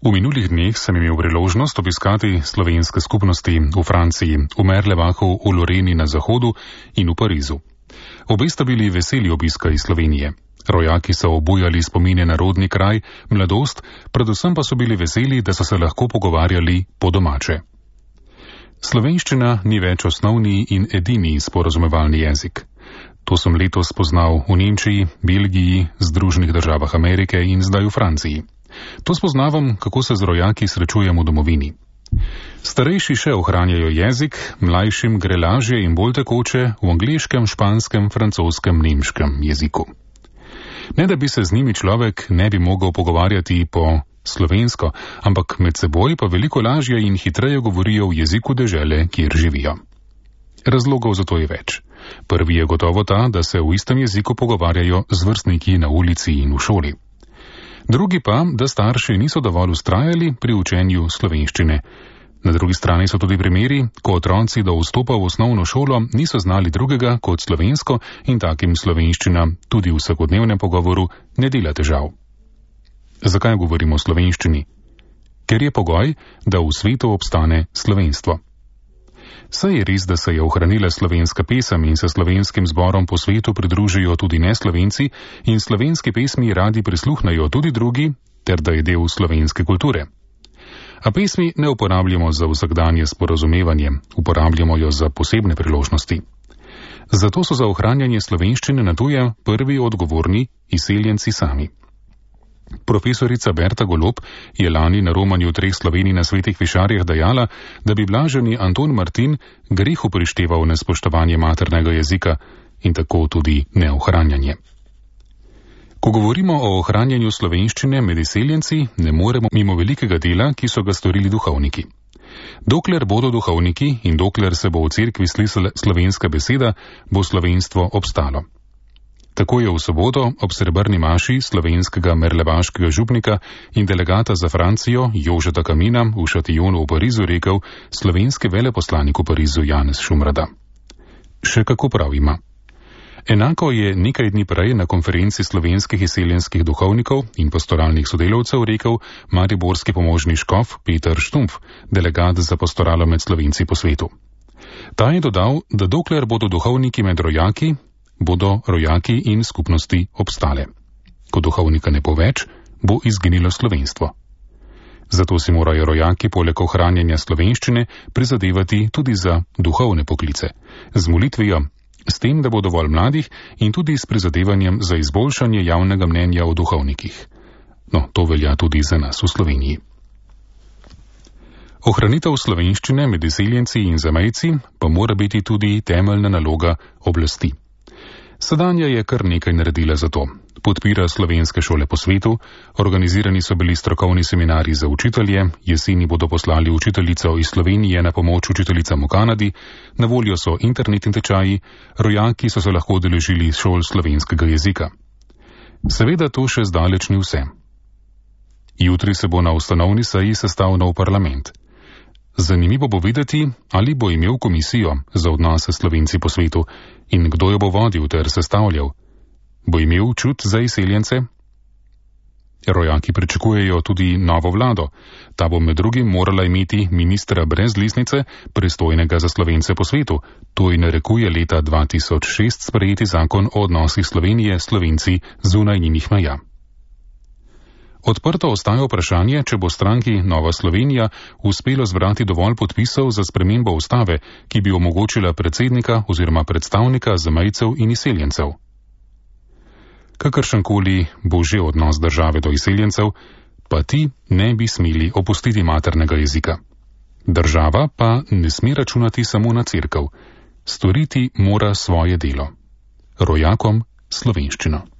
V minulih dneh sem imel priložnost obiskati slovenske skupnosti v Franciji, v Merlebachu, v Loreni na zahodu in v Parizu. Obe sta bili veseli obiska iz Slovenije. Rojaki so obujali spomine na rodni kraj, mladost, predvsem pa so bili veseli, da so se lahko pogovarjali po domače. Slovenščina ni več osnovni in edini sporazumevalni jezik. To sem letos spoznal v Nemčiji, Belgiji, Združenih državah Amerike in zdaj v Franciji. To spoznavam, kako se z rojaki srečujem v domovini. Starejši še ohranjajo jezik, mlajšim gre lažje in bolj tekoče v angleškem, španskem, francoskem, nemškem jeziku. Ne da bi se z njimi človek ne bi mogel pogovarjati po slovensko, ampak med seboj pa veliko lažje in hitreje govorijo v jeziku dežele, kjer živijo. Razlogov za to je več. Prvi je gotovo ta, da se v istem jeziku pogovarjajo z vrstniki na ulici in v šoli. Drugi pa, da starši niso dovolj ustrajali pri učenju slovenščine. Na drugi strani so tudi primeri, ko otroci do vstopa v osnovno šolo niso znali drugega kot slovensko in takim slovenščina tudi v vsakodnevnem pogovoru ne dela težav. Zakaj govorimo o slovenščini? Ker je pogoj, da v svetu obstane slovenstvo. Saj je res, da se je ohranila slovenska pesem in se slovenskim zborom po svetu pridružijo tudi neslovenci in slovenski pesmi radi prisluhnajo tudi drugi, ter da je del slovenske kulture. A pesmi ne uporabljamo za vsakdanje sporazumevanje, uporabljamo jo za posebne priložnosti. Zato so za ohranjanje slovenščine na tuje prvi odgovorni izseljenci sami. Profesorica Berta Golob je lani na romanju 3 Slovenij na Svetih Višarjah dejala, da bi blaženi Anton Martin grehu prišteval nespoštovanje maternega jezika in tako tudi neohranjanje. Ko govorimo o ohranjanju slovenščine med izseljenci, ne moremo mimo velikega dela, ki so ga storili duhovniki. Dokler bodo duhovniki in dokler se bo v cerkvi slišala slovenska beseda, bo slovenstvo obstalo. Tako je v soboto ob srebrni maši slovenskega merlebaškega župnika in delegata za Francijo Jožeta Kamina v Šatijonu v Parizu rekel slovenski veleposlanik v Parizu Janez Šumrada. Še kako prav ima. Enako je nekaj dni prej na konferenci slovenskih izseljenskih duhovnikov in pastoralnih sodelavcev rekel mariborski pomožni škof Peter Štumpf, delegat za pastoralo med Slovenci po svetu. Ta je dodal, da dokler bodo duhovniki med rojaki, bodo rojaki in skupnosti obstale. Ko duhovnika ne bo več, bo izginilo slovenstvo. Zato si morajo rojaki poleg ohranjanja slovenščine prizadevati tudi za duhovne poklice, z molitvijo, s tem, da bo dovolj mladih in tudi s prizadevanjem za izboljšanje javnega mnenja o duhovnikih. No, to velja tudi za nas v Sloveniji. Ohranitev slovenščine med izseljenci in zamejci pa mora biti tudi temeljna naloga oblasti. Sedanja je kar nekaj naredila za to. Podpira slovenske šole po svetu, organizirani so bili strokovni seminarji za učitelje, jeseni bodo poslali učiteljico iz Slovenije na pomoč učiteljicam v Kanadi, na voljo so internetni tečaji, rojaki so se lahko udeležili šol slovenskega jezika. Seveda to še zdaleč ni vse. Jutri se bo na ustanovni seji sestal nov parlament. Zanimivo bo videti, ali bo imel komisijo za odnose s Slovenci po svetu in kdo jo bo vodil ter sestavljal. Bo imel čut za izseljence? Rojaki pričakujejo tudi novo vlado. Ta bo med drugim morala imeti ministra brez listnice, pristojnega za Slovence po svetu. To ji narekuje leta 2006 sprejeti zakon o odnosih Slovenije s Slovenci zunaj njenih meja. Odprto ostaja vprašanje, če bo stranki Nova Slovenija uspelo zbrati dovolj podpisov za spremembo ustave, ki bi omogočila predsednika oziroma predstavnika zamejcev in izseljencev. Kakršenkoli bo že odnos države do izseljencev, pa ti ne bi smeli opustiti maternega jezika. Država pa ne sme računati samo na cerkev. Storiti mora svoje delo. Rojakom slovenščino.